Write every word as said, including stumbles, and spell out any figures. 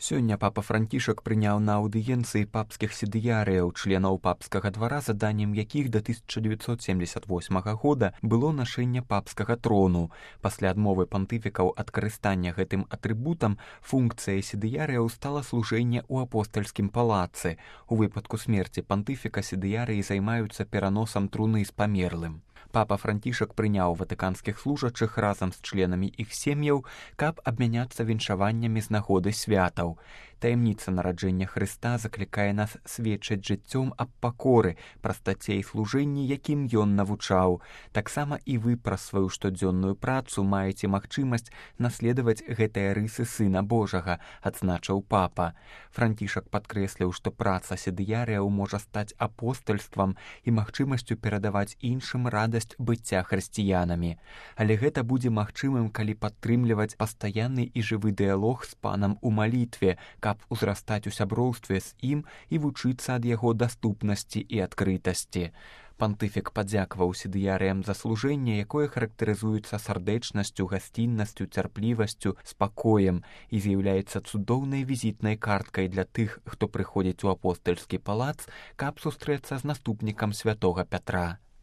Сёння папа Францішак прыняў на аўдыенцыі папскіх сідыярыяў, членаў папскага двара, заданнем якіх да тысяча дзевяцьсот семдзесят восьмага года было нашэнне папскага трону. Пасля адмовы пантыфікаў ад карыстання гэтым атрыбутам, функцыя сідыярыяў стала служэнне ў апостальскім палацы. У выпадку смерці пантыфіка сідыярыі займаюцца пераносам труны з памерлым. Папа Францішак прыняў ватыканскіх служачых разам з членамі іх сем'яў, каб абмяняцца віншаваннямі з нагоды святаў. Таямніца нараджэння Хрыста заклікае нас сведчыць жыццём аб пакоры, прастаце і служэнні, якім ён навучаў. Таксама і вы праз сваю штодзённую працу маеце магчымасць наследаваць гэтыя рысы Сына Божага, адзначыў папа. Францішак падкрэсліў, што праца сідыярыяў можа стаць апостальствам і магчымасцю перадаваць іншым радасць быцця хрысціянамі. Але гэта будзе магчымым, калі падтрымліваць пастаянны і жывы дыялог з панам у малітве, каб узрастаць у сяброўстве з ім і вучыцца ад яго даступнасці і адкрытасці. Пантыфік падзякаваў сідыярыям за служэнне, якое характарызуецца сардэчнасцю, гасціннасцю, цярплівасцю, спакоем і з'яўляецца цудоўнай візітнай карткай для тых, хто прыходзіць у апостальскі палац, каб сустрэцца з наступнікам святога Пятра.